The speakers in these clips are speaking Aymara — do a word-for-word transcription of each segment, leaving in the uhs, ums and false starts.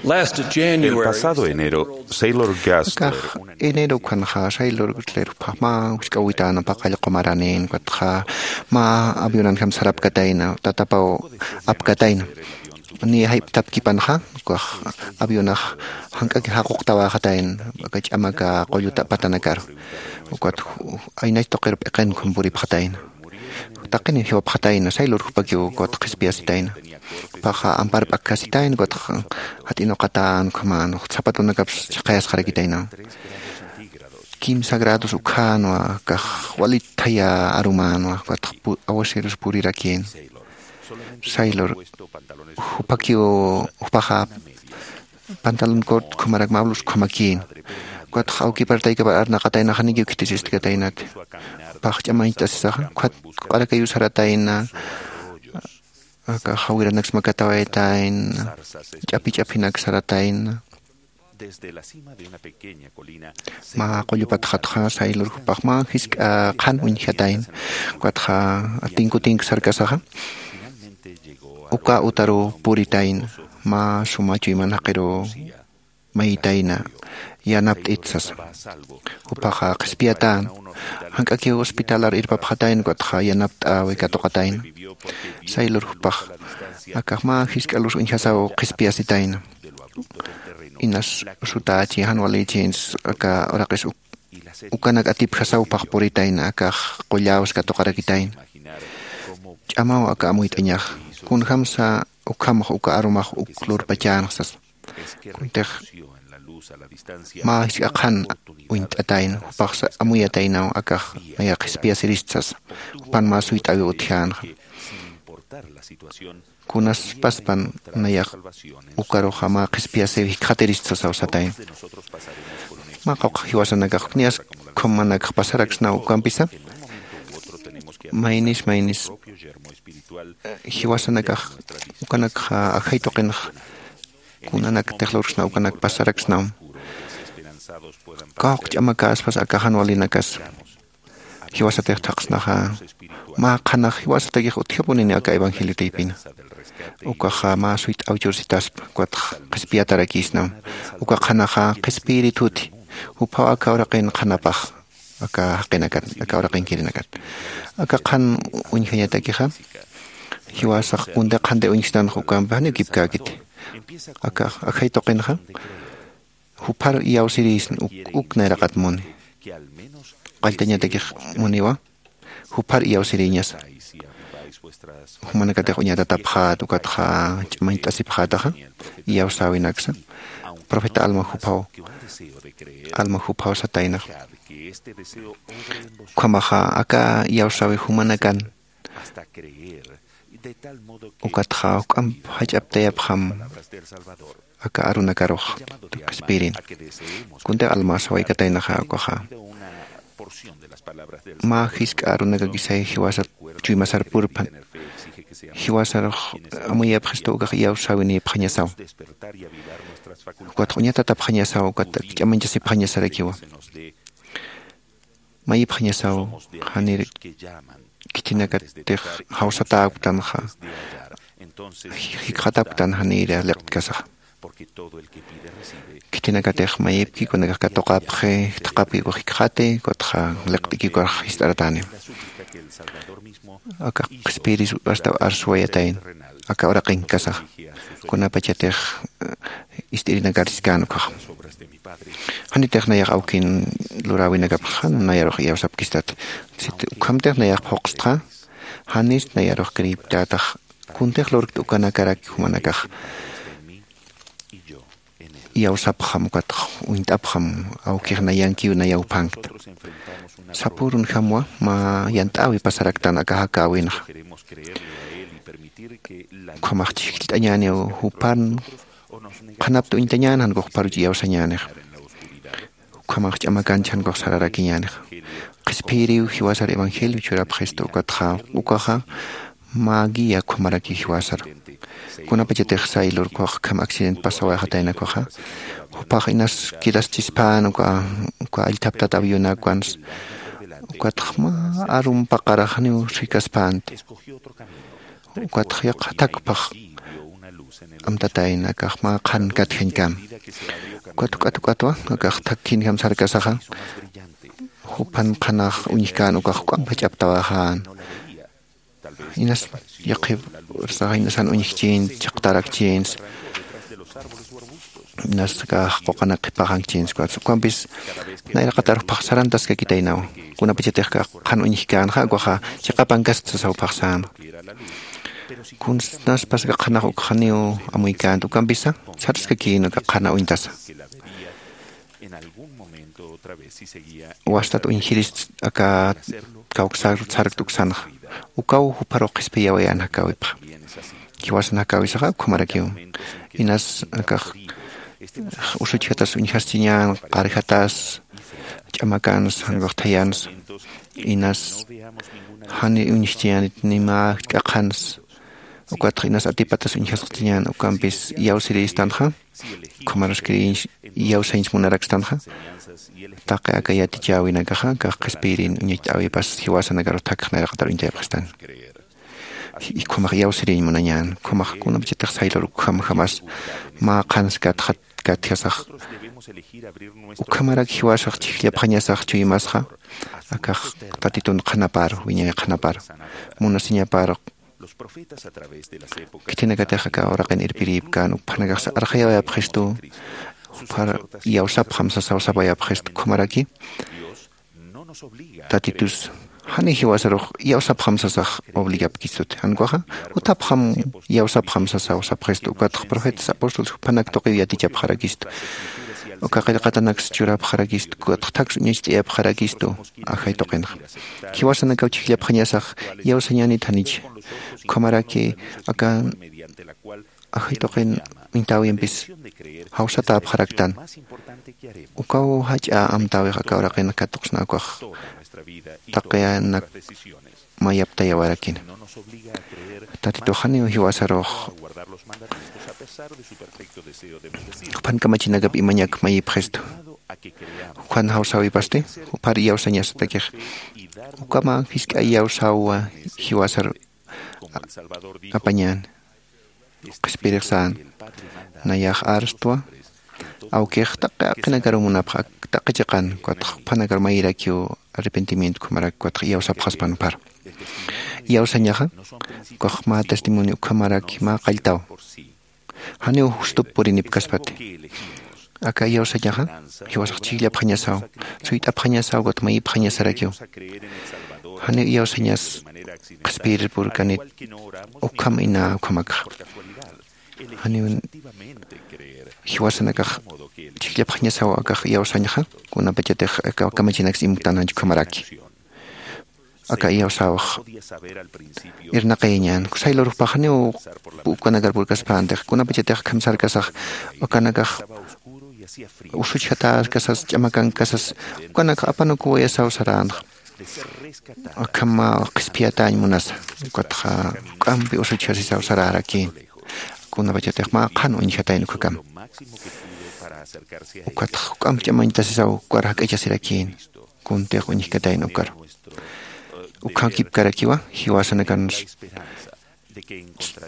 Last El January, pasado enero, Sailor Gastler, akax enero ukhanxa Sailor Gastler juphax mä wisk'äwitäna paqall qumaranin, ukatxa mä avionanjam sarapkatayna, tatapaw apkatayna. Niya jayp'tapkipanxa, ukax avionax jank'aki jaquqtawäxatayna aka ch'amaka qulluta patanakaru. Ukat ju-, aynach tuqir p'iqin ukham puripxatayna. Taqiniw jiwapxatayna, Sailor jupakiw ukat qhispiyasitayna. Jupaxa ampar p'akkasitayna, ukat jat'inuqatän ukhaman, zapatonakaps chhaqayasxarakitayna. Kimsa grados ukhänwa, akax walit thaya arumänwa, ukat pu-, aguaceros purirakïn. Sailor, jupakiw, jupaxa pantalón corto ukhamarak mä blusa ukhamakïn. Ukatxa awkipar taykipar arnaqataynaxa janikiw khitisiskataynati. Jupax ch'amañcht'asisaxa, ukat q'arakayuw saratayna, aka jawiranakas makatawaytayna, ch'api ch'apinak saratayna. Mä qullu patxatxa Sailor jupax mä jisk'a qhan uñjatayna. Ukatxa tinku tinku sarkasaxa, uka utaruw puritayna, mä suma chuyman jaqiruw mayitayna, yanapt'it sasa. Jupaxa qhispiyatän, jank'akiw hospitalar irpapxatayna, ukatxa yanapt'äwi katuqatayna. Sailor jupax akax mä jisk'a luz uñjasaw qhispiyasitayna. Inas sutächi, jan walïchins, aka uraqis uk-, ukanak atipjasaw jupax puritayna, akax qulläws katuqarakitayna. Ch'amaw aka amuyt'añaxa, kunjamsa ukhamx uka arumax uk lurpachänxa sasa. Kuntix mä jisk'a qhan uñt'atayna, jupaxsa amuyataynaw, akax naya qhispiyasirist sasa. Jupan mä suyt'äwiw utjänxa. Kunaspaspan nayax ukaruxa mä qhispiyasiw jikxatirist sasaw satayna. Mä qawqha jiwasanakax, niyas ukhamanakax pasaraksnaw ukampisa. Maynis, maynis, eh, jiwasanakax, ukanakxa ajay tuqinx kunanakatix lurksnaw, ukanak pasaraksnam. Kawkha ch'amakäspas aka jan walinakas jiwasatix thaqsnaxa, mä qhanax jiwasatakix utjapunini aka evangelio taypina. Ukaxa mä suyt'äw chursitaspa, ukatx qhispiyatarakïsnam. Uka qhanaxa qhispiyirituti, juphaw aka uraqin qhanapax, aka jaqinakat, aka uraqinkirinakat. Aka qhan uñjañatakixa, jiwasax kuntix qhanti uñjstanxa ukampi janiw kipkäkiti. Aka ajay tuqinxa, jupharu iyawsirïsna uk, uk nayraqat muni. Qalltañatakix muniwa, jupharu iyawsirïñasa. Jumanakatix uñatatapxät, ukatxa ch'amañt'asipxätaxa, iyawsäwinaksa. Profeta Alma juphaw, Alma juphaw sataynax. Ukhamaxa aka iyawsäwi jumanakan ukatxa juk'amp jach'aptayapxam aka arunakarux qhispiyirin. Kuntix Alma sawaykataynaxa ukaxa, mä jisk'a arunakakisay jiwasat chuymasar purpan, jiwasarux amuyapxistu ukax iyawsäwinïpxañasaw. Ukatx uñatatapxañasaw, ukat ch'amañchasipxañasarakiwa. Mayipxañasaw, janir khithinakatix jawsatäktanxa, jikxatäktan janir liqt'kasaxa. Khithinakatix mayipki, kunakax katuqapxi, thaqhapki ukax jikxati, ukatxa liqt'iki ukax jist'aratäni. Aka qhispiyiris astaw arsuwayatayna, aka uraqinkkasaxa. Kunapachatix, eh, ist'irinakar siskän ukaxa. Janitix nayax awkin luräwinakapxa jan nayarux iyawsapkistati. Sit ukhamtix nayax phuqstxa, janis nayarux creeptätax, kuntix lurkt ukanakarak jumanakax iyawsapxam, ukatx uñt'apxam, awkix nayankiw nayawphankta. Sapürunjamwa mä yant'äwi pasaraktan aka jakäwinxa. Ukhamax chhijllt'añäniw jupan qhanapta uñtañän, jan ukax juparuch iyawsañänix. Ukhamax ch'amakanch jan ukax sararakiñänix. Qhispiyiriw jiwasar evangelio churapxistu, ukatxa ukaxa mä guía ukhamaraki jiwasar. Kunapachatix Sailor ukax ukham accident pasawayxatayna ukaxa, jupax inas quedaschispän uka, uka allthaptat avionakwans, ukatx mä arum paqarax janiw rikaspänti. Ukatx yaqha thakpax amtatayna akax mä qhan katjañkam. Ukat juk'at juk'atwa akax thakkinjam sarkasaxa, juphan qhanax uñjkän ukax juk'amp jach'aptawaxän. Inas yaqhip ursaxa inasan uñjkchïn, chhaqtarakchïns, inas akax quqanak qhipaxankchïns ukampis nayraqatar juphax sarantaskakitaynaw. Kunapachatix akax qhan uñjkänxa ukaxa chiqapankaskt sasaw juphaxsänxa. Kunaspas aka qhanax ukxaniw amuykänti ukampisa sarskakïn aka qhana uñtasa. Wastat uñjirist aka kawksar sarkt uksanxa, ukaw jupharux qhispiyawayän jakäwipxa. Jiwasan jakäwisaxa ukhamarakiw. Inas akax usuchjatas uñjaschiñän, qarjatas, ch'amakansa, jan ukax thayansa, inas jani uñjchiñänit ni mä k'aqhansa. Ukatxa inas atipatas uñjasqchiñän ukampis iyawsirïstanxa, ukhamaraskiriñ iyawsañs munarakstanxa, taqi aka yatichäwinakaxa akax qhispiyiriñ uñacht'äwipas jiwasanakarux thakix nayraqatar uñtayapxistan. Ukhamax iyawsirïñ munañän, ukhamax kunapachatix saylur ukham jamas mä qhans katjat katjasax. Ukhamarak jiwasax chhijllapxañasax chuymasxa, akax Tatitun qhanapar, wiñay qhanapar, munasiñapar. Khitinakatix aka uraqin irpirïpkän, juphanakax arxayawayapxistu, juphar iyawsapxam sasaw sapayapxistu, ukhamaraki Tatitus jani jiwasarux iyawsapxam sasax obligapkistuti. Jan ukaxa jutapxam iyawsapxam sasaw sapxistu, ukatx profetas, apóstoles juphanak tuqiw yatichapxarakistu. Uka qillqatanaks churapxarakistu, ukatx thaks uñacht'ayapxarakistu ajay tuqinxa. Jiwasanakaw chhijllapxañasax iyawsañänit janicha. Ukhamaraki aka ajay tuqin uñtäwimpis jawsatäpxaraktan. Ukaw jach'a amtäwix aka uraqin katuqsna ukax taqiyanak mayaptayawarakina. Tatitux janiw jiwasarux juphan kamachinakap imañak mayipxistu. Jukhan jawsäwipasti juphar iyawsañasatakix. Ukama jisk'a iyawsäwa jiwasar apañäni. Qhispiyirix sän, nayax arstwa, awkix taqi jaqinakaru munapxa, taqi chiqan, ukatx juphanakar mayirakiw arrepentimiento, ukhamarak ukatx iyawsapxaspan juphar. Iyawsañaxa ukax mä testimonio, ukhamaraki mä qalltaw. Janiw justup purinipkaspati. Aka iyawsañaxa jiwasax chhijllapxañasaw, suyt'apxañasaw, ukat mayipxañasarakiw. Janiw iyawsañas qhispiyirir purkanit ukham ina ukhamakxa. Janiw jiwasanakax chhijllapxañasaw akax iyawsañxa, kunapachatix aka kamachinaks imktan janch ukhamaraki. Aka iyawsäwix irnaqayañän, saylur jupax janiw ukanakar purkaspäntix, kunapachatix akham sarkasax ukanakax usuchjatäskasas, ch'amakankasas, ukanakax apanukuwayasaw saränxa. Akham qhispiyatäñ munasa, ukatxa juk'ampi usuchjasisaw sarärakïn. Kunapachatix mä qhan uñjatayna ukhakam. Ukatxa juk'amp ch'amañtasisaw ukar jak'achasirakïn. Kuntix uñjkatayna ukar. Ukhamkipkarakiwa jiwasanakan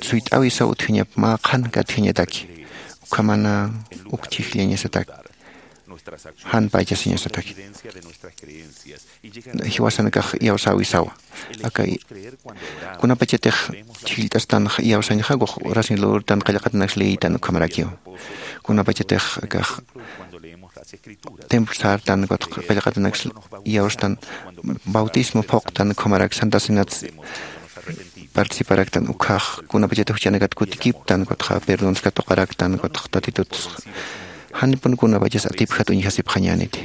suyt'äwisaw utjañap mä qhan katjañataki. Ukhamana uk chhijllañasatak. Jan paychasiñasatak. Jiwasanakax iyawsäwisawa. Aka kunapachatix chhijllt'astan iyawsañxa, ukax oración lurtan, qillqatanaks liytan ukhamarakiw. Kunapachatix akax templo sartan, ukatx qillqatanaks iyawstan, bautismo phuqtan, ukhamarak Santa Cenat participaraktan, ukhax kunapachatix juchanakat kutikiptan, ukatxa perdons katuqaraktan, ukatx Tatituts janipun kunapachas atipjat uñjasipxañäniti.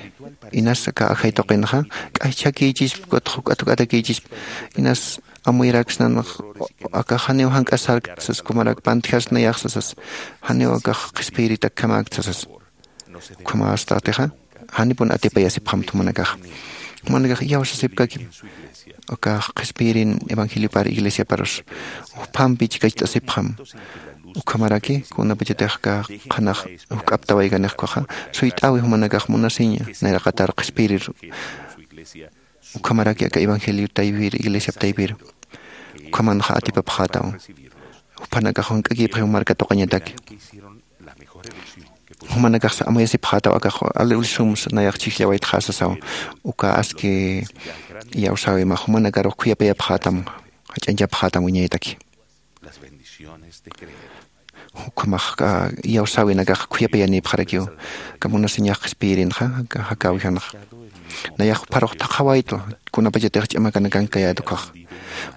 Inas aka ajay tuqinxa k'ajchhakïchisp, ukatx juk'at juk'atakïchisp, inas amuyaraksnan, akax janiw jank'asarkt sas, ukhamarak pantjasnayax sasas, janiw akax qhispiyiritakjamäkt sasas. Ukhamästatixa janipun atipayasipxamt jumanakaxa. Jumanakax iyawsasipkakim. Akax qhispiyirin evangeliopar iglesiaparus juphampi chikacht'asipxam. Ukhamaraki kunapachatix aka qhanax juk'aptawaykanix ukaxa, suyt'äwi jumanakax munasiña nayraqatar qhispiyirir. Ukhamaraki aka evangeliop taypir, iglesiap taypir ukhamanxa atipapxätaw. juphanakax junk'akipxi jumarka tuqañataki. Jumanakaxsa amuyasipxätaw akax ali ulisumsa nayax chhijllawaytxa sasaw. Uka aski iyawsäwima jumanakarux khuyapayapxätam jach'añchapxätam wiñaytaki. Ukhamax iyawsäwinakax khuyapayanïpxarakiw. Aka munasiñax qhispiyirinxa aka jakäwijanxa nayax jupharux thaqhawaytu kunapachatix ch'amakanakan kayätukhax.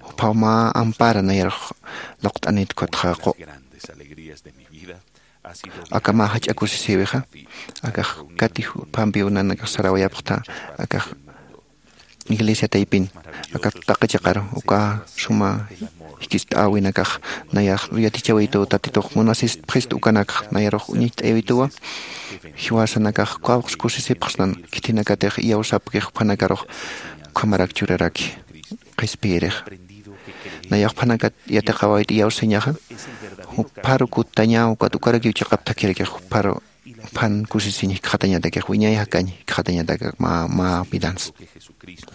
Juphaw mä ampara nayarux luqt'anïtkutxa qu. Aka mä jach'a kusisïwixa akax kati juphampiw nanakax sarawayapxta akax iglesia taypin aka taqi chiqaru uka suma jikist'äwinakax nayax yatichawituw tatitux munasistpxist ukanakx nayarux uñacht'ayawituwa. Jiwasanakax kawqs kusisipxsnan khithinakatix iyawsapkix juphanakarux ukhamarak churaraki qhispiyirixa. Nayax juphanakat yatiqawayt iyawsañaxa jupharu kuttaña ukat ukarakiw chiqap thakhirakix jupharu juphan kusisiñ jikxatañatakix wiñay jakañ jikxatañatak mä mä vidansa.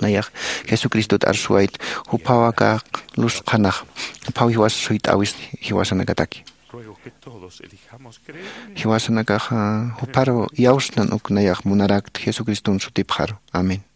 Nayax jesucristot arsuwayt juphaw aka luz qhanax juphaw jiwasa suyt'äwis jiwasanakataki. Jiwasanakax jupharu iyawsnan uk nayax munarakta jesucriston sutipxaru. Amén.